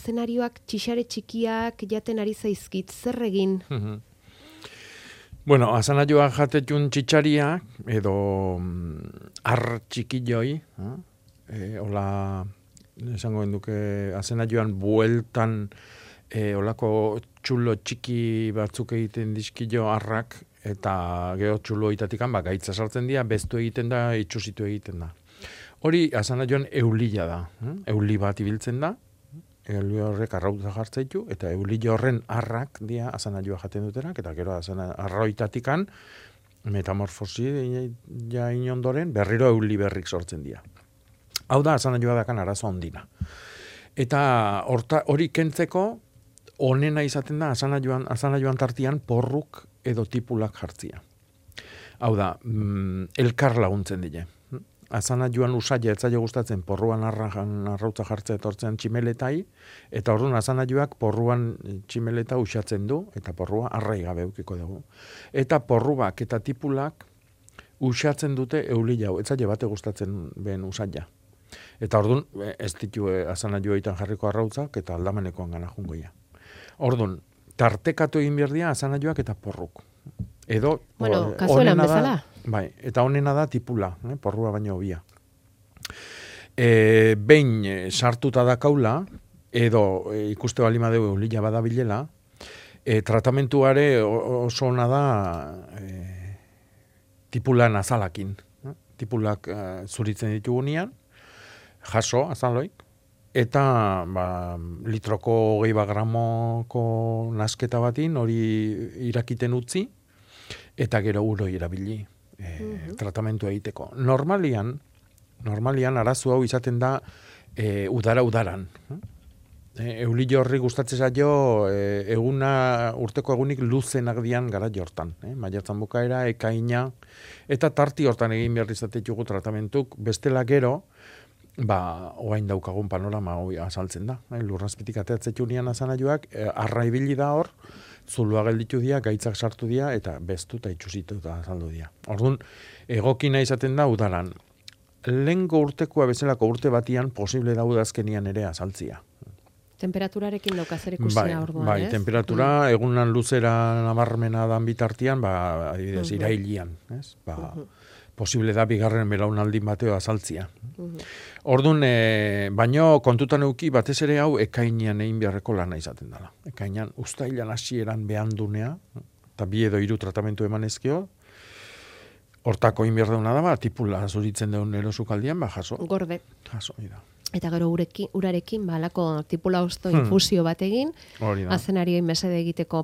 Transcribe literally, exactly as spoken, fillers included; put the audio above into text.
Zenarioak txixare txikiak jaten ari zaizkit, zer egin? Bueno, asanaioak jatetun txitxariak, edo ar txikilloi, eh, hola, esango enduke, asanaioan bueltan, eh, holako txulo txiki batzuk egiten dizkillo arrak, eta gero txulo itatikan, ba, gaitza sartzen dira, beztu egiten da, itxusitu egiten da. Hori, asanaioan eulila da, eh? Euli bat ibiltzen da, euli horrek arrauta jartzaitu, eta euli horren arrak dia asanaioa jaten dutenak, eta gero arroitatikan metamorfosi ja inondoren berriro euli berrik sortzen dira. Hau da asanaioa dakan arazo ondina. Eta horta, hori kentzeko onena izaten da asanaioan, asanaioan tartian porruk edo tipulak jartzia. Hau da, mm, elkar laguntzen dile. Azana joan usaila etzaile gustatzen porruan arrajan arrautza jartzea etortzen tximeletai, eta orduan azana joak porruan tximeleta usatzen du, eta porrua arrai gabe eukiko dugu. Eta porruak eta tipulak usatzen dute euli jau, etzaile bate gustatzen ben usaila. Eta orduan ez ditu azana joaitan jarriko arrautzak, eta aldamenekoan gana jungoia. Orduan, tartekatu egin berdia azana joak eta porruk. Edo, bueno, kasuelan bezala. Bai, eta honena da tipula, eh, porrua baino hobia. E, behin sartuta da kaula, edo e, ikuste balima dugu eulila badabilela, e, tratamentuare oso ona da e, tipulan azalakin. Eh? Tipulak e, zuritzen ditugunean, jaso azaloik, eta ba, litroko hogei gramoko nasketa batin hori irakiten utzi, eta gero uroi erabili e, uh-huh. tratamentu egiteko. Normalian, normalian arazo hau izaten da e, udara-udaran. E, Eulillo horri gustatzen zaio e, eguna, urteko egunik luzenak dian gara jortan. E, Maiatzan bukaera, ekaina, eta tarti hortan egin behar izatetugu tratamentuk, bestela gero, ba, oain daukagun panorama hoi azaltzen da. E, Lurrazpitik ateatzeko nian azanaioak, e, arra ibili da hor, zulua gelditu dira, gaitzak sartu dira, eta bestu eta itxusitu eta azaldu dira. Orduan, egokina izaten da udaran. Lehengo urtekoa bezalako urte batian posible da udazkenian ere azaltzia. Temperaturarekin daukazer ikusia bai, orduan, bai, ez? Temperatura, mm. egunan luzera nabarmena dan bitartian, ba, adibidez, uh-huh. irailian, ez? Ba, uh-huh. posible da bigarren belaunaldin bateo azaltzia. Uh-huh. Orduan, e, baino kontutan euki batez ere hau ekainean egin beharreko lana izaten dela. Ekainean uztailan hasieran behandunea, eta bi edo hiru tratamentu emanezkio, hortako egin behar dauna da, ba, tipula zuritzen deun erosukaldian, ba, jaso. Gorde. Jaso, ida. Eta gero urekin, urarekin, ba, alako tipula osto infusio bat egin, azenarioin mesede egiteko